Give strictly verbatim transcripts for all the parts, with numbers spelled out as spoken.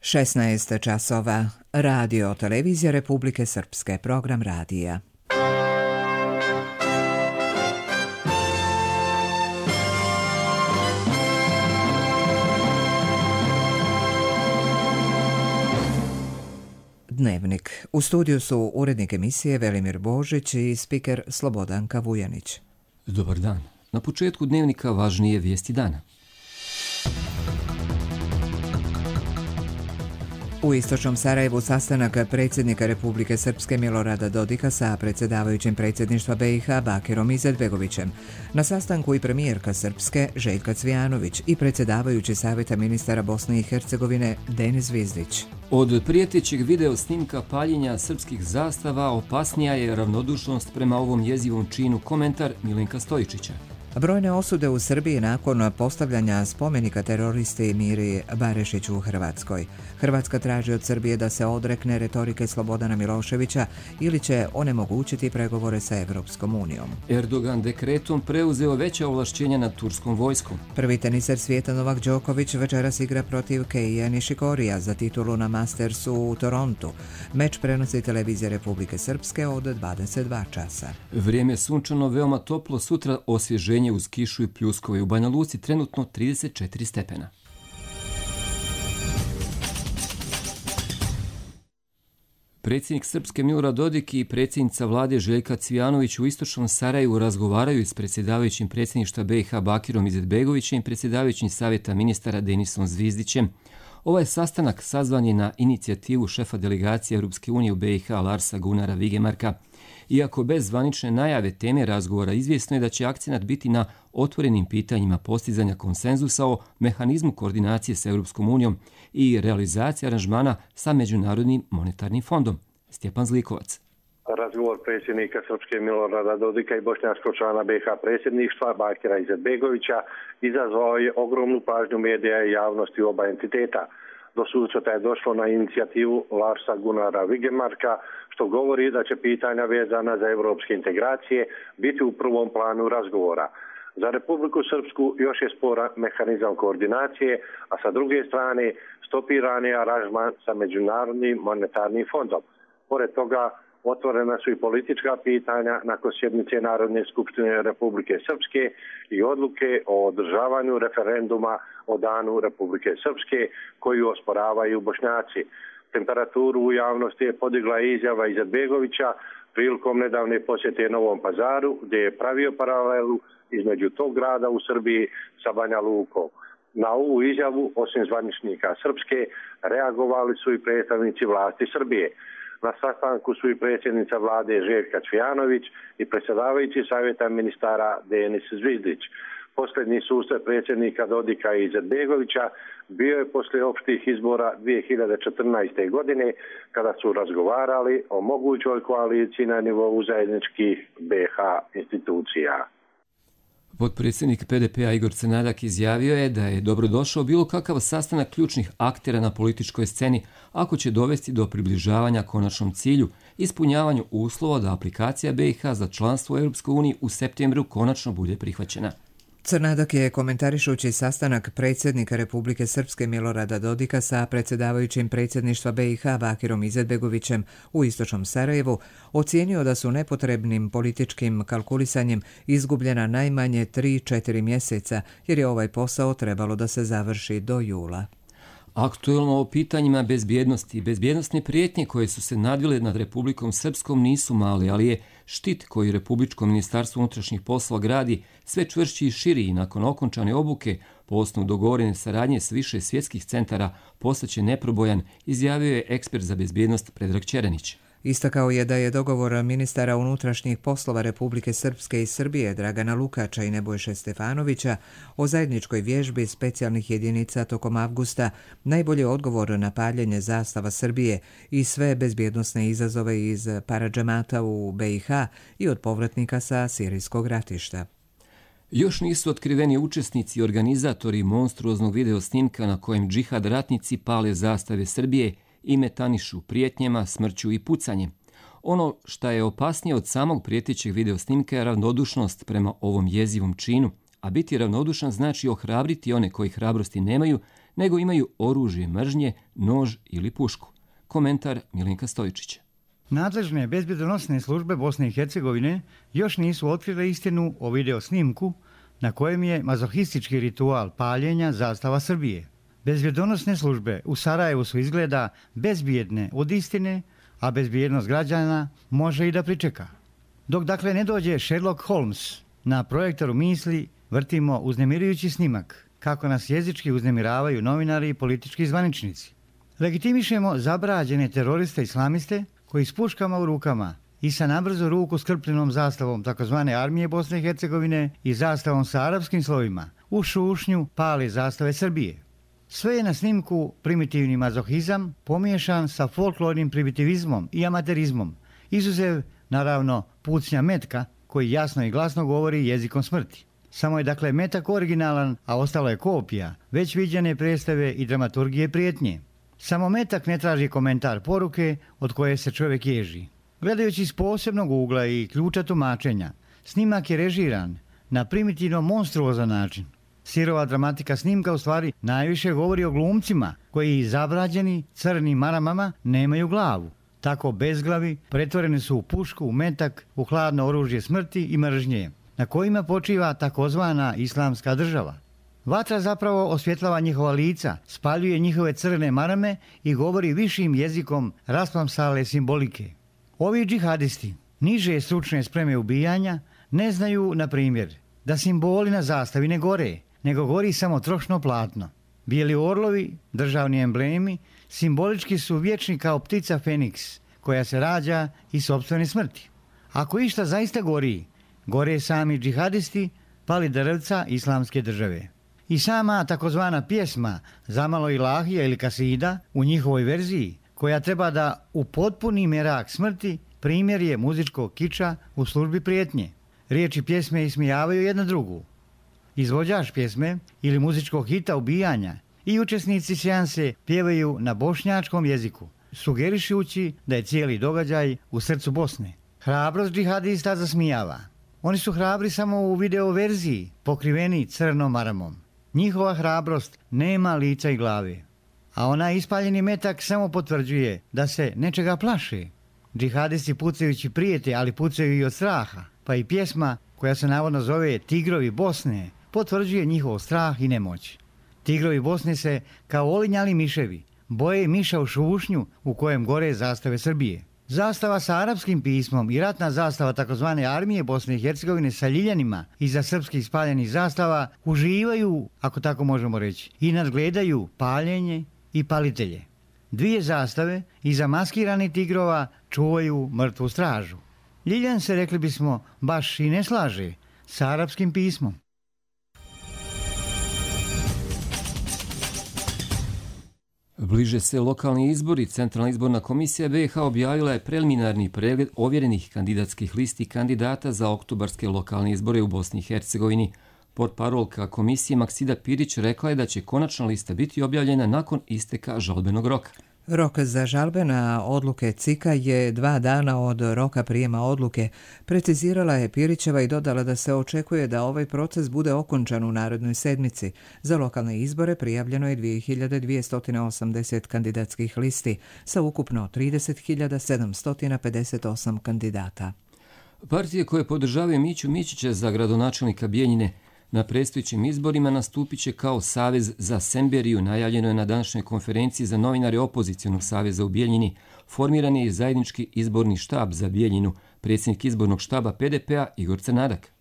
šesnaest časova. Radio Televizija Republike Srpske. Program radija. Dnevnik. U studiju su urednik emisije Velimir Božić i spiker Slobodanka Vujanić. Dobar dan. Na početku dnevnika važnije vijesti dana. U istočnom Sarajevu sastanak predsjednika Republike Srpske Milorada Dodika sa predsjedavajućim predsjedništva B i H Bakirom Izetbegovićem. Na sastanku i premijerka Srpske Željka Cvijanović i predsjedavajući Savjeta ministara Bosne i Hercegovine Denis Zvizdić. Od prijetećeg video snimka paljenja srpskih zastava opasnija je ravnodušnost prema ovom jezivom činu, komentar Milenka Stojičića. Brojne osude u Srbiji nakon postavljanja spomenika teroristi Miri Barešiću u Hrvatskoj. Hrvatska traži od Srbije da se odrekne retorike Slobodana Miloševića ili će onemogućiti pregovore sa Evropskom unijom. Erdogan dekretom preuzeo veća ovlašćenja nad turskom vojskom. Prvi teniser svijeta Novak Đoković večeras igra protiv Keija Nišikorija za titulu na Mastersu u Torontu. Meč prenosi Televizija Republike Srpske od dvadeset dva časa. Vrijeme sunčano, veoma toplo, sutra osvježenje uz kišu i pljuskove. U Banja Luci trenutno trideset četiri stepena. Predsjednik Srpske Milorad Dodik i predsjednica vlade Željka Cvijanović u istočnom Sarajevu razgovaraju s predsjedavajućim predsjedništva B i H Bakirom Izetbegovićem i predsjedavajućim Savjeta ministara Denisom Zvizdićem. Ovaj sastanak sazvan je na inicijativu šefa delegacije Europske unije u B i H Larsa Gunnara Vigemarka. Iako bez zvanične najave teme razgovora, izvjesno je da će akcenat biti na otvorenim pitanjima postizanja konsenzusa o mehanizmu koordinacije sa Europskom unijom i realizacije aranžmana sa Međunarodnim monetarnim fondom. Stjepan Zlikovac. Razgovor predsjednika Srpske Milorada Dodika i bošnjačkog člana B i H predsjedništva Bakira Izetbegovića izazvao je ogromnu pažnju medija i javnosti oba entiteta. Do susreta je došlo na inicijativu Larsa Gunnara Vigemarka, što govori da će pitanja vezana za evropske integracije biti u prvom planu razgovora. Za Republiku Srpsku još je sporan mehanizam koordinacije, a sa druge strane stopiran je aranžman sa Međunarodnim monetarnim fondom. Pored toga, otvorena su i politička pitanja nakon sjednice Narodne skupštine Republike Srpske i odluke o održavanju referenduma o danu Republike Srpske koju osporavaju Bošnjaci. Temperaturu u javnosti je podigla izjava Izetbegovića prilikom nedavne posjete Novom Pazaru, gdje je pravio paralelu između tog grada u Srbiji sa Banja Lukom. Na ovu izjavu, osim zvaničnika Srpske, reagovali su i predstavnici vlasti Srbije. Na sastanku su i predsjednica vlade Željka Cvijanović i predsjedavajući Savjeta ministara Denis Zvizdić. Posljednji susret predsjednika Dodika i Izetbegovića bio je poslije opštih izbora dvije hiljade četrnaeste. godine, kada su razgovarali o mogućoj koaliciji na nivou zajedničkih B i H institucija. Potpredsjednik P D P-a Igor Crnadak izjavio je da je dobrodošao bilo kakav sastanak ključnih aktera na političkoj sceni ako će dovesti do približavanja konačnom cilju, ispunjavanju uslova da aplikacija B i H za članstvo u Europskoj uniji u septembru konačno bude prihvaćena. Crnadak je, komentarišući sastanak predsjednika Republike Srpske Milorada Dodika sa predsjedavajućim predsjedništva B i H Bakirom Izetbegovićem u istočnom Sarajevu, ocijenio da su nepotrebnim političkim kalkulisanjem izgubljena najmanje tri četiri mjeseca, jer je ovaj posao trebalo da se završi do jula. Aktuelno o pitanjima bezbjednosti i bezbjednostne prijetnje koje su se nadvile nad Republikom Srpskom nisu mali, ali je štit koji Republičko ministarstvo unutrašnjih poslova gradi sve čvršći i širi i nakon okončane obuke po osnovu dogovorene saradnje s više svjetskih centara postaće neprobojan, izjavio je ekspert za bezbjednost Predrag Ćeranić. Istakao je da je dogovor ministara unutrašnjih poslova Republike Srpske i Srbije Dragana Lukača i Nebojše Stefanovića o zajedničkoj vježbi specijalnih jedinica tokom avgusta najbolji odgovor na paljenje zastava Srbije i sve bezbjednosne izazove iz paradžemata u B i H i od povratnika sa sirijskog ratišta. Još nisu otkriveni učesnici i organizatori monstruoznog video snimka na kojem džihad ratnici pale zastave Srbije i metanišu prijetnjama, smrću i pucanjem. Ono što je opasnije od samog prijetećeg video snimka je ravnodušnost prema ovom jezivom činu, a biti ravnodušan znači ohrabriti one koji hrabrosti nemaju, nego imaju oružje mržnje, nož ili pušku. Komentar Milenka Stojičića. Nadležne bezbjedonosne službe Bosne i Hercegovine još nisu otkrile istinu o video snimku na kojem je mazohistički ritual paljenja zastava Srbije. Bezbjedonosne službe u Sarajevu su izgleda bezbjedne od istine, a bezbjednost građana može i da pričeka. Dok dakle ne dođe Sherlock Holmes, na projektoru misli vrtimo uznemirujući snimak kako nas jezički uznemiravaju novinari i politički zvaničnici. Legitimišemo zabrađene teroriste islamiste koji s puškama u rukama i sa nabrzo ruku skrpljenom zastavom takozvane armije Bosne i Hercegovine i zastavom sa arapskim slovima u šušnju pali zastave Srbije. Sve je na snimku primitivni mazohizam pomiješan sa folklornim primitivizmom i amaterizmom, izuzev naravno pucnja metka koji jasno i glasno govori jezikom smrti. Samo je dakle metak originalan, a ostalo je kopija već viđene predstave i dramaturgije prijetnje. Samo metak ne traži komentar poruke od koje se čovjek ježi. Gledajući iz posebnog ugla i ključa tumačenja, snimak je režiran na primitivno monstruozan način. Sirova dramatika snimka u stvari najviše govori o glumcima koji zabrađeni crnim maramama nemaju glavu. Tako bezglavi pretvoreni su u pušku, u metak, u hladno oružje smrti i mržnje, na kojima počiva takozvana islamska država. Vatra zapravo osvjetlava njihova lica, spaljuje njihove crne marame i govori višim jezikom rasplamsale simbolike. Ovi džihadisti, niže stručne spreme ubijanja, ne znaju, na primjer, da simboli na zastavi ne gore, nego gori samo trošno platno. Bijeli orlovi, državni emblemi, simbolički su vječni kao ptica Feniks, koja se rađa iz sopstvene smrti. Ako išta zaista gori, gore sami džihadisti, pali drvca islamske države. I sama takozvana pjesma Zamalo ilahija ili kasida u njihovoj verziji, koja treba da upotpuni merak smrti, primjer je muzičkog kiča u službi prijetnje. Riječi pjesme ismijavaju jedna drugu. Izvođač pjesme ili muzičkog hita ubijanja i učesnici seanse pjevaju na bošnjačkom jeziku, sugerišući da je cijeli događaj u srcu Bosne. Hrabrost džihadista zasmijava. Oni su hrabri samo u video verziji, pokriveni crnom maramom. Njihova hrabrost nema lica i glave. A onaj ispaljeni metak samo potvrđuje da se nečega plaše. Džihadisti pucajući prijete, ali pucaju i od straha. Pa i pjesma koja se navodno zove Tigrovi Bosne potvrđuje njihov strah i nemoć. Tigrovi Bosne se, kao olinjali miševi, boje miša u šušnju u kojem gore zastave Srbije. Zastava sa arapskim pismom i ratna zastava takozvane armije Bosne i Hercegovine sa ljiljanima iza srpskih spaljenih zastava uživaju, ako tako možemo reći, i nadgledaju paljenje i palitelje. Dvije zastave iza maskiranih tigrova čuvaju mrtvu stražu. Ljiljan se, rekli bismo, baš i ne slaže sa arapskim pismom. Bliže se lokalni izbori. Centralna izborna komisija B i H objavila je preliminarni pregled ovjerenih kandidatskih listi kandidata za oktobarske lokalne izbore u Bosni i Hercegovini. Portparolka komisije Maksida Pirić rekla je da će konačna lista biti objavljena nakon isteka žalbenog roka. Rok za žalbe na odluke C I K-a je dva dana od roka prijema odluke, precizirala je Pirićeva i dodala da se očekuje da ovaj proces bude okončan u narednoj sedmici. Za lokalne izbore prijavljeno je dvije hiljade dvjesto osamdeset kandidatskih listi sa ukupno trideset hiljada sedamsto pedeset osam kandidata. Partije koje podržavaju Miću Mićića za gradonačelnika Bijeljine na predstojećim izborima nastupit će kao Savez za Semberiju, najavljeno je na današnjoj konferenciji za novinare Opozicionog saveza u Bijeljini. Formiran je i zajednički izborni štab za Bijeljinu, predsjednik izbornog štaba P D P-a Igor Crnadak.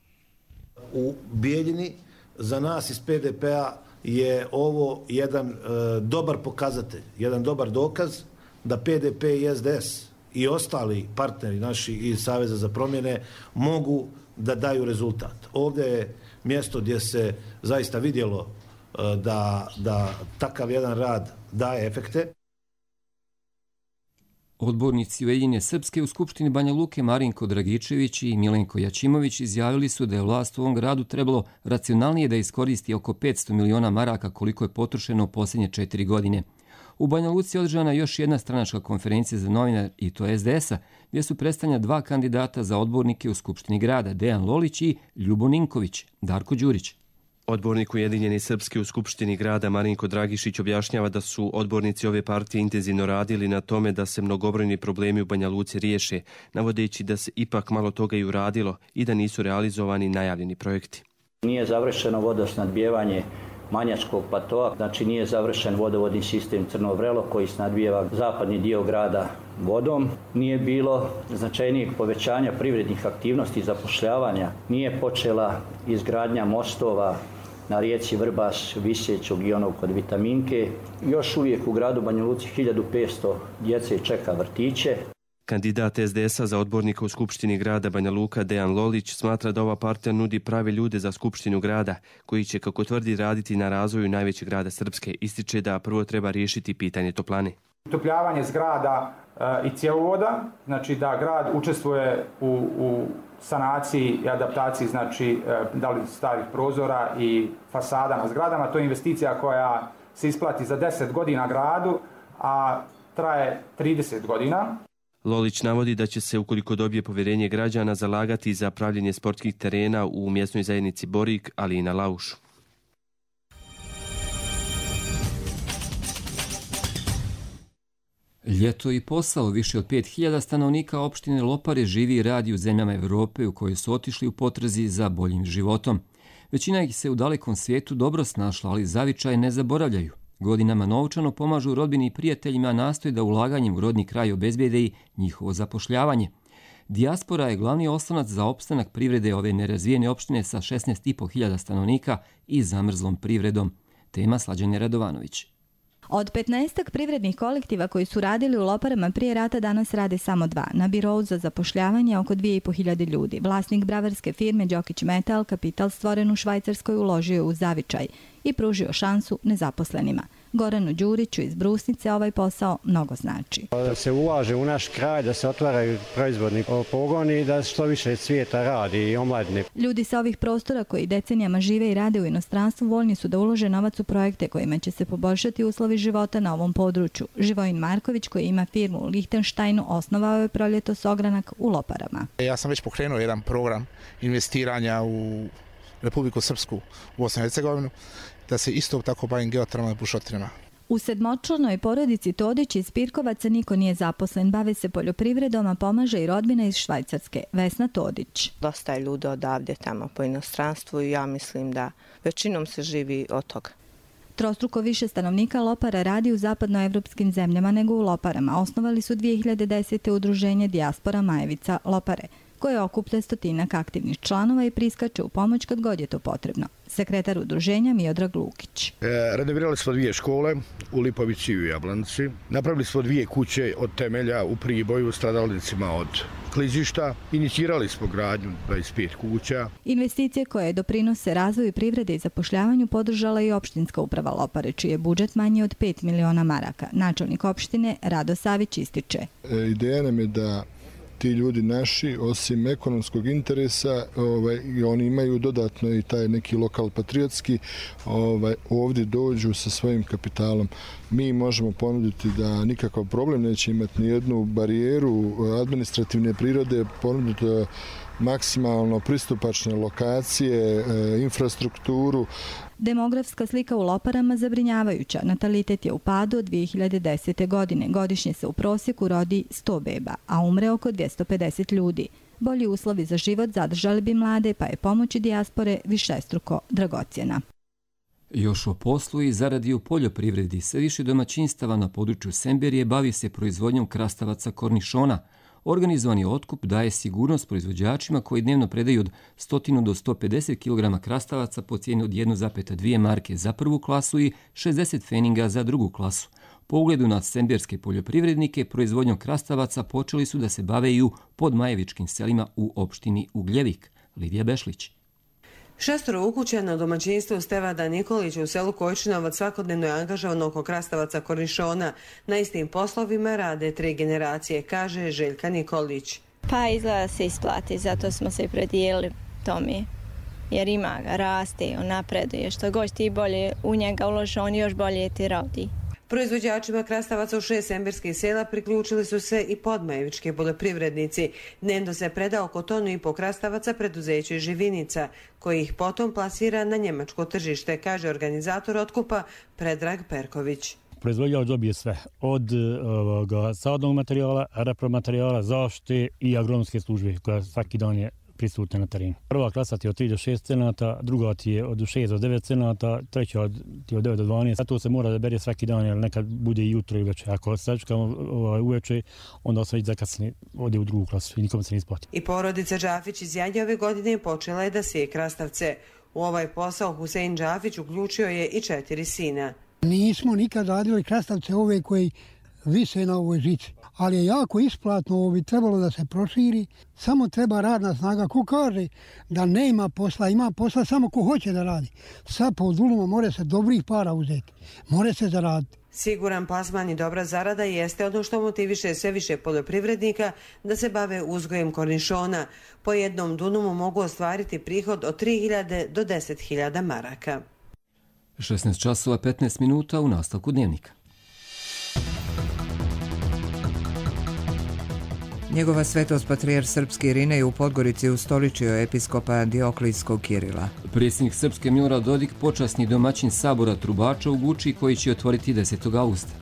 U Bijeljini za nas iz P D P-a je ovo jedan e, dobar pokazatelj, jedan dobar dokaz da P D P i S D S i ostali partneri naši iz Saveza za promjene mogu da daju rezultat. Ovdje je mjesto gdje se zaista vidjelo da, da takav jedan rad daje efekte. Odbornici Ujedinjene Srpske u Skupštini Banja Luke Marinko Dragičević i Milenko Jačimović izjavili su da je vlast u ovom gradu trebalo racionalnije da iskoristi oko petsto miliona maraka koliko je potrošeno u posljednje četiri godine. U Banja Luci je održana još jedna stranačka konferencija za novinar i to S D S-a, gdje su predstavljena dva kandidata za odbornike u Skupštini grada, Dejan Lolić i Ljubo Ninković, Darko Đurić. Odbornik Ujedinjeni Srpski u Skupštini grada Marinko Dragišić objašnjava da su odbornici ove partije intenzivno radili na tome da se mnogobrojni problemi u Banja Luci riješe, navodeći da se ipak malo toga i uradilo i da nisu realizovani najavljeni projekti. Nije završeno vodosnadbijevanje Manjačkog platoa, znači nije završen vodovodni sistem Crno Vrelo koji snadbijeva zapadni dio grada vodom. Nije bilo značajnijeg povećanja privrednih aktivnosti i zapošljavanja. Nije počela izgradnja mostova na rijeci Vrbas, Visećog i onog kod Vitaminke. Još uvijek u gradu Banja Luci hiljadu petsto djece čeka vrtiće. Kandidat es de esa za odbornika u Skupštini grada Banja Luka Dejan Lolić smatra da ova partija nudi prave ljude za Skupštinu grada, koji će, kako tvrdi, raditi na razvoju najvećeg grada Srpske. Ističe da prvo treba riješiti pitanje toplane. Utopljavanje zgrada e, i cjevovoda, znači da grad učestvuje u, u sanaciji i adaptaciji, znači e, da li starih prozora i fasada na zgradama. To je investicija koja se isplati za deset godina gradu, a traje trideset godina. Lolić navodi da će se, ukoliko dobije povjerenje građana, zalagati za pravljenje sportskih terena u mjesnoj zajednici Borik, ali i na Laušu. Ljeto i posao. Više od pet hiljada stanovnika opštine Lopare živi i radi u zemljama Evrope u koje su otišli u potrazi za boljim životom. Većina ih se u dalekom svijetu dobro snašla, ali zavičaj ne zaboravljaju. Godinama novčano pomažu rodbini i prijateljima, a nastoje da ulaganjem u rodni kraj obezbede i njihovo zapošljavanje. Dijaspora je glavni oslonac za opstanak privrede ove nerazvijene opštine sa šesnaest i po hiljada stanovnika i zamrzlom privredom. Tema Slađane Radovanović. Od petnaestak privrednih kolektiva koji su radili u Loparama prije rata danas rade samo dva. Na birou za zapošljavanje oko dvije i po hiljade ljudi. Vlasnik bravarske firme Đokić Metal kapital stvoren u Švajcarskoj uložio u zavičaj i pružio šansu nezaposlenima. Goranu Đuriću iz Brusnice ovaj posao mnogo znači. Da se ulaže u naš kraj, da se otvaraju proizvodni pogoni i da što više svijeta radi i omladine. Ljudi sa ovih prostora koji decenijama žive i rade u inostranstvu voljni su da ulože novac u projekte kojima će se poboljšati uslovi života na ovom području. Živojin Marković, koji ima firmu u Lihtenštajnu, osnovao je proljetos ogranak u Loparama. Ja sam već pokrenuo jedan program investiranja u Republiku Srpsku, u Bosnu i Hercegovinu, da se isto tako bavim geotermalnim bušotinama. U sedmočlanoj porodici Todić iz Pirkovaca niko nije zaposlen, bave se poljoprivredom, a pomaže i rodbina iz Švajcarske, Vesna Todić. Dosta je ljudi odavde tamo po inostranstvu i ja mislim da većinom se živi od toga. Trostruko više stanovnika Lopara radi u zapadnoevropskim zemljama nego u Loparama. Osnovali su dvije hiljade desete udruženje Dijaspora Majevica Lopare, koje okuplja stotinak aktivnih članova i priskače u pomoć kad god je to potrebno. Sekretar udruženja Miodrag Lukić. E, renovirali smo dvije škole u Lipovici i u Jablanici. Napravili smo dvije kuće od temelja u Priboju stradalnicima od klizišta. Inicirali smo gradnju dvadeset pet kuća. Investicije koje doprinose razvoju privrede i zapošljavanju podržala i opštinska uprava Lopare, čiji je budžet manji od pet miliona maraka. Načelnik opštine Rado Savić ističe. E, ideja nam je da ti ljudi naši, osim ekonomskog interesa, ovaj, oni imaju dodatno i taj neki lokal patriotski, ovaj, ovdje dođu sa svojim kapitalom. Mi možemo ponuditi da nikakav problem neće imati ni jednu barijeru administrativne prirode, ponuditi maksimalno pristupačne lokacije, infrastrukturu. Demografska slika u Loparama zabrinjavajuća. Natalitet je u padu od dvije hiljade desete. godine. Godišnje se u prosjeku rodi sto beba, a umre oko dvjesto pedeset ljudi. Bolji uslovi za život zadržali bi mlade, pa je pomoć dijaspore višestruko dragocjena. Još o poslu i zaradi u poljoprivredi. Sve više domaćinstava na području Semberije bavi se proizvodnjom krastavaca kornišona. Organizovani otkup daje sigurnost proizvođačima koji dnevno predaju od sto do sto pedeset kilograma krastavaca po cijeni od jedna zarez dvije marke za prvu klasu i šezdeset feninga za drugu klasu. Po ugledu na semberske poljoprivrednike, proizvodnjom krastavaca počeli su da se bave i u podmajevičkim selima u opštini Ugljevik. Lidija Bešlić. Šestoro ukućena domaćinstvo Stevada Nikolića u selu Kojčinovac svakodnevno je angažovano oko krastavaca kornišona. Na istim poslovima rade tri generacije, kaže Željka Nikolić. Pa izgleda se isplati, zato smo se predijelili tome. Jer ima ga, raste, on napreduje. Što god ti bolje u njega uloži, on još bolje ti radi. Proizvođačima krastavaca u šest semberskih sela priključili su se i podmajevički poljoprivrednici. Dnevno se preda oko tonu i po krastavaca preduzeću Živinica, koji ih potom plasira na njemačko tržište, kaže organizator otkupa Predrag Perković. Proizvođač dobije sve, od ovoga, sadnog materijala, repromaterijala, zaštite i agronomske službe, koja svaki dan je prisutna na terenu. Prva klasa ti je od tri do šest cenata, druga ti je od šest do devet cenata, treća od, ti je od devet do dvanaest. A to se mora da bere svaki dan, jer nekad bude i jutro i uveče. Ako se sačekamo ovaj, uveče, onda se već zakasni ode u drugu klasu i nikom se ne isplati. I porodica Džafić iz Jadje ove godine počela je da sije krastavce. U ovaj posao Husein Džafić uključio je i četiri sina. Nismo nikad radili krastavce ove koji vise na ovoj žici, ali je jako isplatno, ovo bi trebalo da se proširi, samo treba radna snaga. Ko kaže da nema posla, ima posla samo ko hoće da radi. Sad po duluma more se dobrih para uzeti, more se zaraditi. Siguran plasman i dobra zarada jeste ono što motiviše sve više poljoprivrednika da se bave uzgojem kornišona. Po jednom dunumu mogu ostvariti prihod od tri hiljade do deset hiljada maraka. šesnaest časova petnaest minuta u nastavku dnevnika. Njegova svetost patrijarh srpski Irinej u Podgorici ustoličio episkopa Dioklijskog Kirila. Predsjednik Srpske Milorad Dodik počasni domaćin sabora Trubača u Guči koji će otvoriti desetog augusta.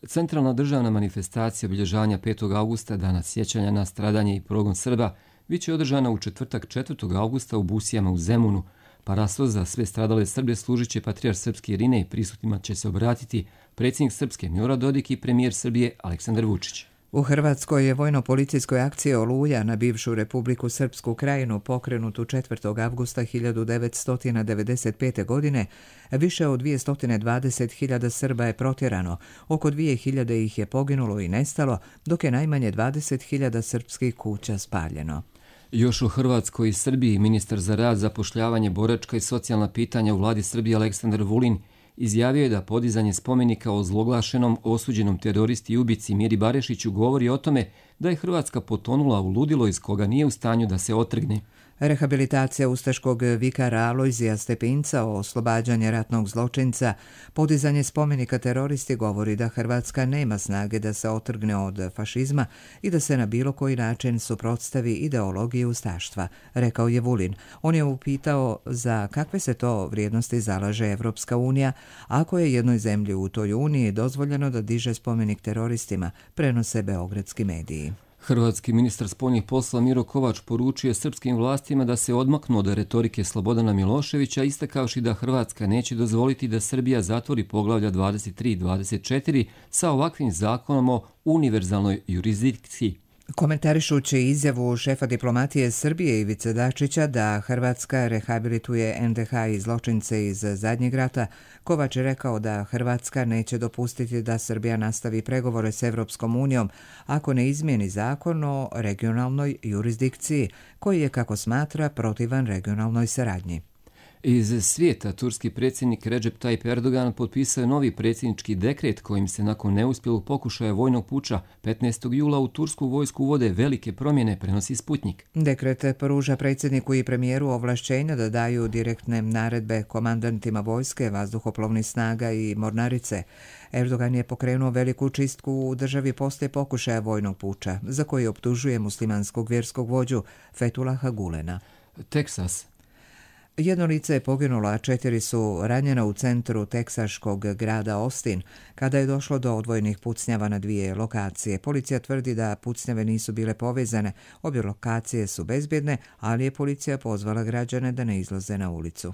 Centralna državna manifestacija obilježavanja petog augusta, dana sjećanja na stradanje i progon Srba, bit će održana u četvrtak četvrtog augusta u Busijama u Zemunu. Parasto za sve stradale Srbe služit će patrijarh srpski Irinej, prisutnima će se obratiti predsjednik Srpske Milorad Dodik i premijer Srbije Aleksandar Vučić. U Hrvatskoj je vojno-policijskoj akciji Oluja na bivšu Republiku Srpsku Krajinu pokrenutu četvrtog avgusta hiljadu devetsto devedeset pete. godine. Više od dvjesto dvadeset hiljada Srba je protjerano, oko dvije hiljade ih je poginulo i nestalo, dok je najmanje dvadeset hiljada srpskih kuća spaljeno. Još u Hrvatskoj i Srbiji ministar za rad, zapošljavanje, boračka i socijalna pitanja u vladi Srbije Aleksandar Vulin izjavio je da podizanje spomenika o zloglašenom osuđenom teroristi i ubici Miri Barešiću govori o tome da je Hrvatska potonula u ludilo iz koga nije u stanju da se otrgne. Rehabilitacija ustaškog vikara Alojzija Stepinca o oslobađanje ratnog zločinca, podizanje spomenika teroristi govori da Hrvatska nema snage da se otrgne od fašizma i da se na bilo koji način suprotstavi ideologiji ustaštva, rekao je Vulin. On je upitao za kakve se to vrijednosti zalaže Evropska unija, ako je jednoj zemlji u toj uniji dozvoljeno da diže spomenik teroristima, prenose beogradski mediji. Hrvatski ministar spoljnih poslova Miro Kovač poručio srpskim vlastima da se odmaknu od retorike Slobodana Miloševića, istakavši da Hrvatska neće dozvoliti da Srbija zatvori poglavlja dvadeset tri i dvadeset četiri sa ovakvim zakonom o univerzalnoj jurisdikciji. Komentarišući izjavu šefa diplomatije Srbije Ivice Dačića da Hrvatska rehabilituje en de ha i zločince iz zadnjeg rata, Kovač je rekao da Hrvatska neće dopustiti da Srbija nastavi pregovore s Evropskom unijom ako ne izmijeni zakon o regionalnoj jurisdikciji, koji je, kako smatra, protivan regionalnoj saradnji. Iz svijeta turski predsjednik Recep Tayyip Erdogan potpisao je novi predsjednički dekret kojim se nakon neuspjelog pokušaja vojnog puča petnaestog jula u tursku vojsku uvode velike promjene, prenosi Sputnik. Dekret pruža predsjedniku i premijeru ovlašćenja da daju direktne naredbe komandantima vojske, vazduhoplovnih snaga i mornarice. Erdogan je pokrenuo veliku čistku u državi poslije pokušaja vojnog puča, za koji optužuje muslimanskog vjerskog vođu Fetulaha Gulena. Teksas. Jedno lice je poginulo, a četiri su ranjena u centru teksaškog grada Austin, kada je došlo do odvojenih pucnjava na dvije lokacije. Policija tvrdi da pucnjave nisu bile povezane, obje lokacije su bezbjedne, ali je policija pozvala građane da ne izlaze na ulicu.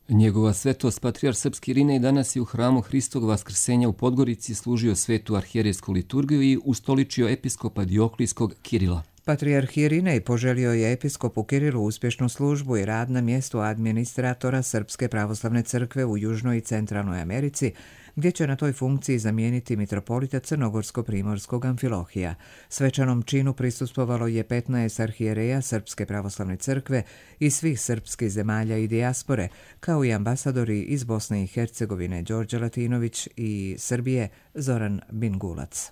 Njegova svetost patrijarh srpski Irinej danas je u hramu Hristovog vaskrsenja u Podgorici služio svetu arhijerejsku liturgiju i ustoličio episkopa Dioklijskog Kirila. Patrijarh Irinej poželio je episkopu Kirilu uspješnu službu i rad na mjestu administratora Srpske pravoslavne crkve u Južnoj i Centralnoj Americi, gdje će na toj funkciji zamijeniti mitropolita Crnogorsko-primorskog Amfilohija. Svečanom činu prisustvovalo je petnaest arhijereja Srpske pravoslavne crkve iz svih srpskih zemalja i dijaspore, kao i ambasadori iz Bosne i Hercegovine Đorđe Latinović i Srbije Zoran Bingulac.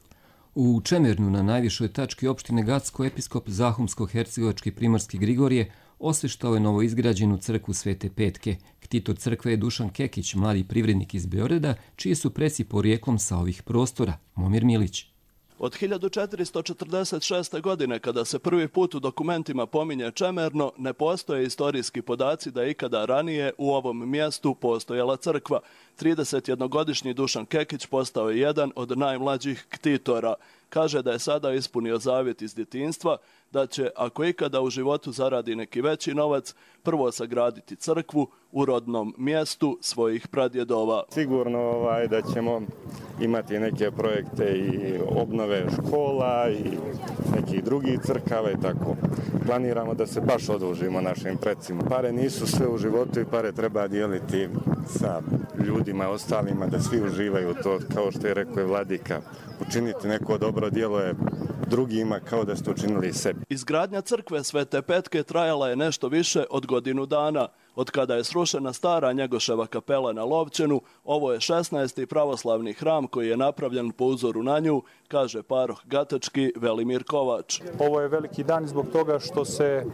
U Čemernu na najvišoj tački opštine Gacko episkop Zahumsko-hercegovački primorski Grigorije osveštao je novoizgrađenu crkvu Svete Petke. Ktitor crkve je Dušan Kekić, mladi privrednik iz Beograda, čiji su preci porijeklom sa ovih prostora. Momir Milić. Od hiljadu četiristo četrdeset šeste. godine, kada se prvi put u dokumentima pominje Čemerno, ne postoje istorijski podaci da je ikada ranije u ovom mjestu postojala crkva. tridesetjednogodišnji Dušan Kekić postao je jedan od najmlađih ktitora. Kaže da je sada ispunio zavjet iz djetinjstva, da će, ako ikada u životu zaradi neki veći novac, prvo sagraditi crkvu u rodnom mjestu svojih pradjedova. Sigurno ovaj, da ćemo imati neke projekte i obnove škola i nekih drugih crkava i tako. Planiramo da se baš odužimo našim precima. Pare nisu sve u životu i pare treba dijeliti sa ljudima ostalima, da svi uživaju to, kao što je rekao je Vladika. Učiniti neko dobro djelo je drugima kao da ste učinili sebi. Izgradnja crkve Svete Petke trajala je nešto više od godinu dana. Od kada je srušena stara Njegoševa kapela na Lovćenu, ovo je šesnaesti pravoslavni hram koji je napravljen po uzoru na nju, kaže paroh Gatački Velimir Kovač. Ovo je veliki dan zbog toga što se e,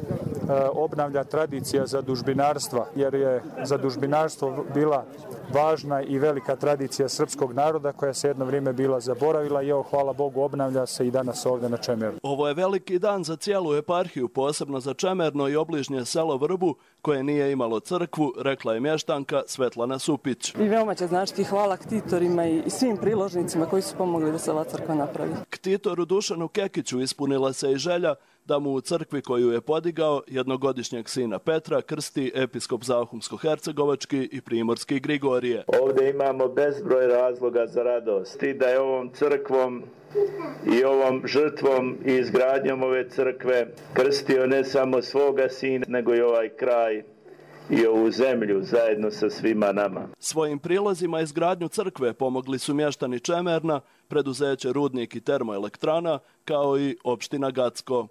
obnavlja tradicija zadužbinarstva, jer je zadužbinarstvo bila važna i velika tradicija srpskog naroda koja se jedno vrijeme bila zaboravila i evo, hvala Bogu, obnavlja se i danas ovdje na Čemernu. Ovo je veliki dan za cijelu eparhiju, posebno za Čemerno i obližnje selo Vrbu, koje nije imalo crkvu, rekla je mještanka Svetlana Supić. I veoma će značiti hvala ktitorima i svim priložnicima koji su pomogli da se ova crkva napravi. Ktitoru Dušanu Kekiću ispunila se i želja da mu u crkvi koju je podigao jednogodišnjeg sina Petra krsti episkop Zahumsko-hercegovački i primorski Grigorije. Ovdje imamo bezbroj razloga za radost i da je ovom crkvom i ovom žrtvom i izgradnjom ove crkve krstio ne samo svoga sina, nego i ovaj kraj i ovu zemlju zajedno sa svima nama. Svojim prilozima izgradnju crkve pomogli su mještani Čemerna, preduzeće Rudnik i termoelektrana, kao i opština Gacko.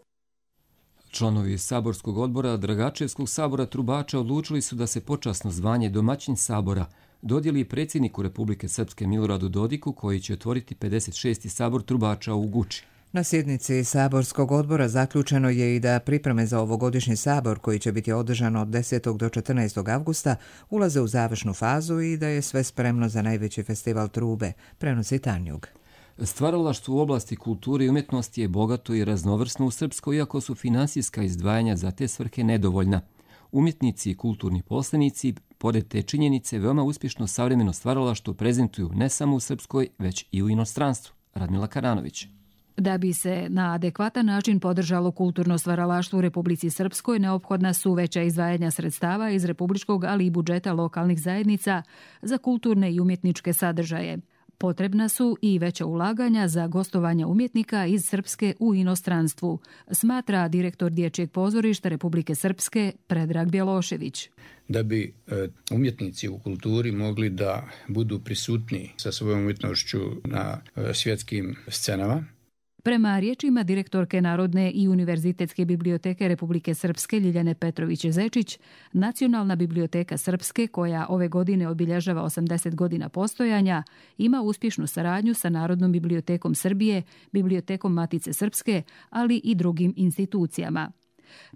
Članovi Saborskog odbora Dragačevskog sabora Trubača odlučili su da se počasno zvanje domaćin sabora dodijeli predsjedniku Republike Srpske Miloradu Dodiku, koji će otvoriti pedeset šesti sabor Trubača u Guči. Na sjednici Saborskog odbora zaključeno je i da pripreme za ovogodišnji sabor, koji će biti održan od desetog do četrnaestog avgusta, ulaze u završnu fazu i da je sve spremno za najveći festival trube, prenosi Tanjug. Stvaralaštvo u oblasti kulture i umjetnosti je bogato i raznovrsno u Srpskoj, iako su finansijska izdvajanja za te svrhe nedovoljna. Umjetnici i kulturni poslenici, pored te činjenice, veoma uspješno savremeno stvaralaštvo prezentuju ne samo u Srpskoj, već i u inostranstvu. Radmila Karanović. Da bi se na adekvatan način podržalo kulturno stvaralaštvo u Republici Srpskoj, neophodna su veća izdvajanja sredstava iz republičkog, ali i budžeta lokalnih zajednica za kulturne i umjetničke sadržaje. Potrebna su i veća ulaganja za gostovanje umjetnika iz Srpske u inostranstvu, smatra direktor Dječjeg pozorišta Republike Srpske Predrag Bjelošević. Da bi umjetnici u kulturi mogli da budu prisutni sa svojom umjetnošću na svjetskim scenama. Prema riječima direktorke Narodne i univerzitetske biblioteke Republike Srpske Ljiljane Petrović-Zečić, Nacionalna biblioteka Srpske, koja ove godine obilježava osamdeset godina postojanja, ima uspješnu saradnju sa Narodnom bibliotekom Srbije, Bibliotekom Matice Srpske, ali i drugim institucijama.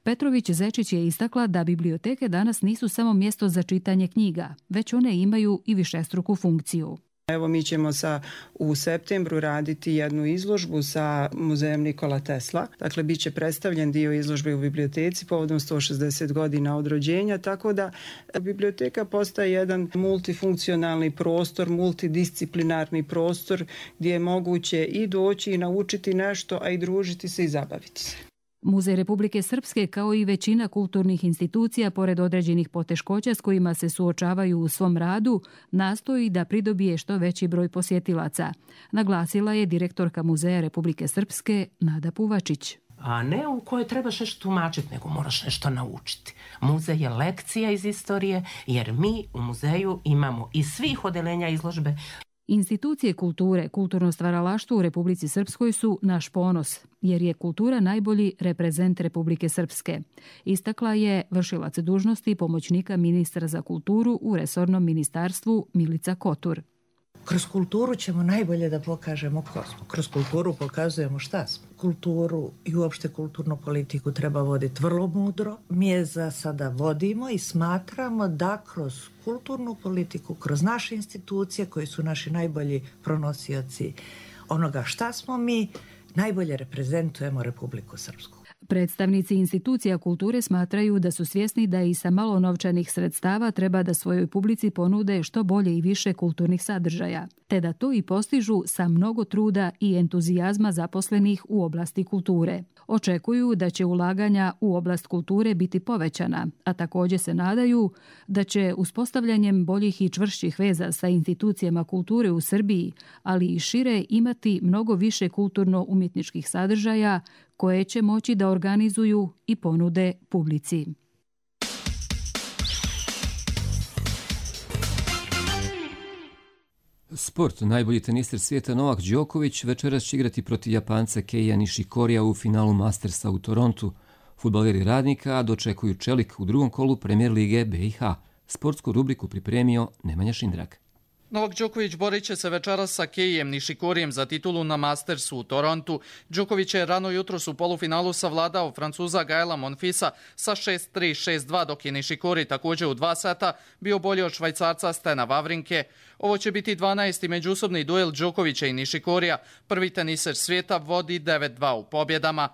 Petrović-Zečić je istakla da biblioteke danas nisu samo mjesto za čitanje knjiga, već one imaju i višestruku funkciju. Evo, mi ćemo sa, u septembru raditi jednu izložbu sa muzejem Nikola Tesla. Dakle, bit će predstavljen dio izložbe u biblioteci povodom sto šezdeset godina od rođenja, tako da biblioteka postaje jedan multifunkcionalni prostor, multidisciplinarni prostor gdje je moguće i doći i naučiti nešto, a i družiti se i zabaviti se. Muzej Republike Srpske, kao i većina kulturnih institucija, pored određenih poteškoća s kojima se suočavaju u svom radu, nastoji da pridobije što veći broj posjetilaca, naglasila je direktorka Muzeja Republike Srpske Nada Puvačić. A ne u kojoj trebaš nešto tumačiti, nego moraš nešto naučiti. Muzej je lekcija iz istorije, jer mi u muzeju imamo iz svih odelenja izložbe. Institucije kulture, kulturno stvaralaštvo u Republici Srpskoj su naš ponos, jer je kultura najbolji reprezent Republike Srpske. Istakla je vršilac dužnosti pomoćnika ministra za kulturu u resornom ministarstvu Milica Kotur. Kroz kulturu ćemo najbolje da pokažemo ko smo. Kroz kulturu pokazujemo šta smo. Kulturu i uopšte kulturnu politiku treba voditi vrlo mudro. Mi je za sada vodimo i smatramo da kroz kulturnu politiku, kroz naše institucije koji su naši najbolji pronosioci onoga šta smo mi, najbolje reprezentujemo Republiku Srpsku. Predstavnici institucija kulture smatraju da su svjesni da i sa malo novčanih sredstava treba da svojoj publici ponude što bolje i više kulturnih sadržaja, te da to i postižu sa mnogo truda i entuzijazma zaposlenih u oblasti kulture. Očekuju da će ulaganja u oblast kulture biti povećana, a također se nadaju da će uspostavljanjem boljih i čvršćih veza sa institucijama kulture u Srbiji, ali i šire, imati mnogo više kulturno-umjetničkih sadržaja koje će moći da organizuju i ponude publici. Sport. Najbolji teniser svijeta Novak Đoković večeras će igrati protiv Japanca Keija Nishikorija u finalu Mastersa u Torontu. Fudbaleri Radnika dočekuju Čelik u drugom kolu Premier lige B i H. Sportsku rubriku pripremio Nemanja Šindrak. Novak Đoković borit će se večeras sa Keijem Nišikorijem za titulu na Mastersu u Torontu. Đoković je rano jutros u polufinalu savladao Francuza Gaela Monfisa sa šest tri šest dva, dok je Nišikori također u dva seta bio bolji od Švajcarca Stena Wawrinke. Ovo će biti dvanaesti međusobni duel Đokovića i Nišikorija. Prvi teniser svijeta vodi devet dva u pobjedama.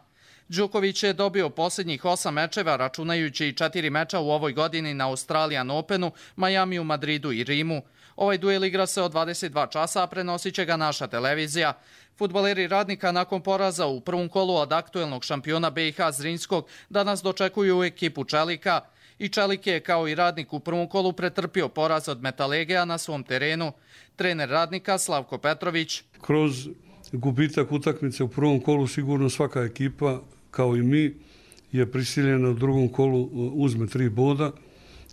Đoković je dobio posljednjih osam mečeva, računajući i četiri meča u ovoj godini na Australian Openu, Majamiju, Madridu i Rimu. Ovaj duel igra se od dvadeset dva časa, a prenosit će ga naša televizija. Fudbaleri Radnika nakon poraza u prvom kolu od aktuelnog šampiona B i H Zrinjskog danas dočekuju ekipu Čelika. I Čelik je, kao i Radnik, u prvom kolu pretrpio poraz od Metalegea na svom terenu. Trener Radnika Slavko Petrović. Kroz gubitak utakmice u prvom kolu sigurno svaka ekipa, kao i mi, je prisiljena u drugom kolu uzme tri boda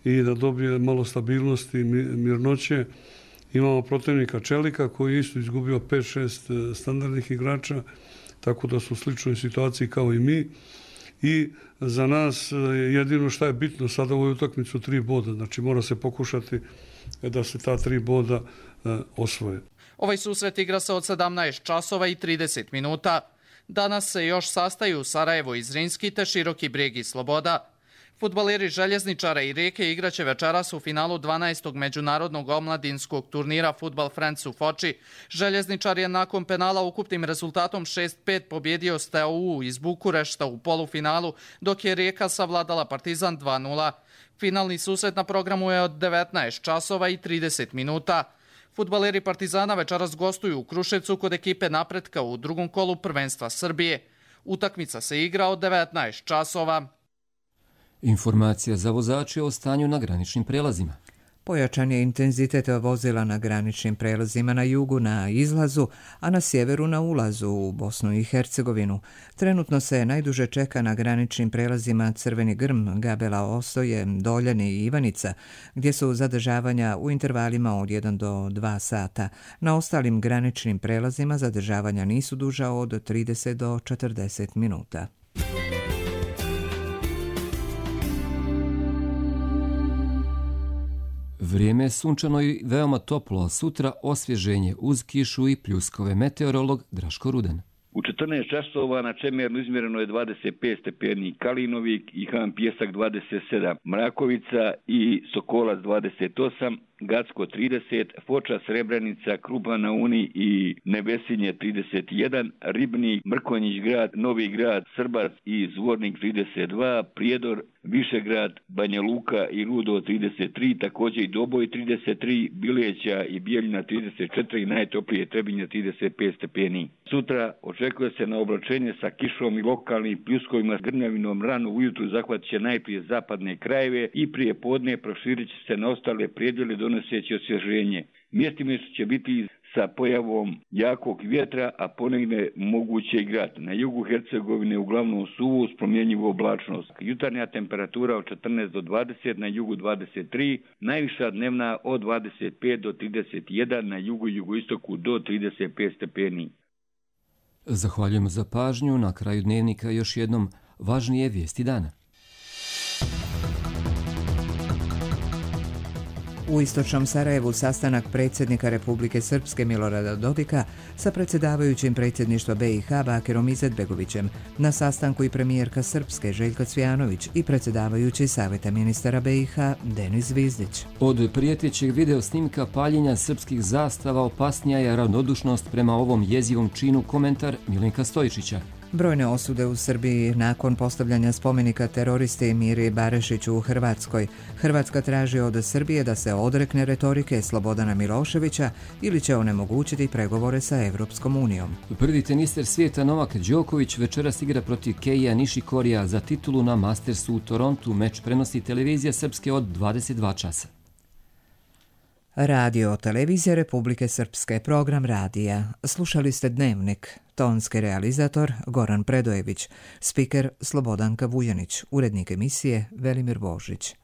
i da dobije malo stabilnosti i mirnoće. Imamo protivnika Čelika koji je isto izgubio pet šest standardnih igrača, tako da su u sličnoj situaciji kao i mi. I za nas jedino što je bitno sada u ovoj utakmici su tri boda. Znači mora se pokušati da se ta tri boda osvoje. Ovaj susret igra se od sedamnaest časova i trideset minuta. Danas se još sastaju Sarajevo i Zrinjski te Široki Brijeg i Sloboda. Fudbaleri Željezničara i Rijeke igraće večeras u finalu dvanaestog međunarodnog omladinskog turnira Football Friends u Foči. Željezničar je nakon penala ukupnim rezultatom šest pet pobjedio Steaua iz Bukurešta u polufinalu, dok je Rijeka savladala Partizan dva nula. Finalni susret na programu je od devetnaest časova i trideset minuta. Fudbaleri Partizana večeras gostuju u Kruševcu kod ekipe Napretka u drugom kolu prvenstva Srbije. Utakmica se igra od devetnaest časova. Informacija za vozače o stanju na graničnim prelazima. Pojačan je intenzitet vozila na graničnim prelazima na jugu na izlazu, a na sjeveru na ulazu u Bosnu i Hercegovinu. Trenutno se najduže čeka na graničnim prelazima Crveni Grm, Gabela Osoje, Doljani i Ivanica, gdje su zadržavanja u intervalima od jedan do dva sata. Na ostalim graničnim prelazima zadržavanja nisu duža od trideset do četrdeset minuta. Vrijeme je sunčano i veoma toplo, a sutra osvježenje uz kišu i pljuskove. Meteorolog Draško Rudan. U četrnaest časova na Čemernu izmjereno je dvadeset pet stepeni, Kalinovik i Han Pjesak dvadeset sedam, Mrakovica i Sokolac dvadeset osam, Gacko trideset, Foča, Srebrenica, Krupa na Uni i Nebesinje trideset jedan, Ribnik, Mrkonjić grad, Novi grad, Srbac i Zvornik trideset dva, Prijedor, Višegrad, Banja Luka i Rudo trideset tri, također i Doboj trideset tri, Bileća i Bijeljina trideset četiri, najtoplije Trebinje trideset pet stepeni. Sutra očekuje se na oblačenje sa kišom i lokalnim pljuskovima s grmljavinom. Rano ujutru zahvat će najprije zapadne krajeve i prije podne proširit će se na ostale predjele donoseći osvježenje. Mjestimično će biti sa pojavom jakog vjetra, a ponegdje moguće i grad. Na jugu Hercegovine uglavnom suvo uz promjenjivu oblačnost. Jutarnja temperatura od četrnaest do dvadeset, na jugu dvadeset tri, najviša dnevna od dvadeset pet do trideset jedan, na jugu i jugoistoku do trideset pet stepeni. Zahvaljujemo za pažnju. Na kraju dnevnika još jednom važnije vijesti dana. U istočnom Sarajevu sastanak predsjednika Republike Srpske Milorada Dodika sa predsjedavajućim predsjedništva B i H Bakirom Izetbegovićem, na sastanku i premijerka Srpske Željka Cvijanović i predsjedavajući Saveta ministara B i H Denis Zvizdić. Od prijetećeg video snimka paljenja srpskih zastava opasnija je ravnodušnost prema ovom jezivom činu, komentar Milenka Stojičića. Brojne osude u Srbiji nakon postavljanja spomenika teroristi Miri Barešiću u Hrvatskoj. Hrvatska traži od Srbije da se odrekne retorike Slobodana Miloševića ili će onemogućiti pregovore sa Evropskom unijom. Prvi tenister svijeta Novak Đoković večeras igra protiv Keija Nišikorija za titulu na Mastersu u Torontu. Meč prenosi televizija Srpske od dvadeset dva časa. Radio Televizija Republike Srpske, program radija. Slušali ste Dnevnik. Tonski realizator Goran Predojević, spiker Slobodanka Vujanić, urednik emisije Velimir Božić.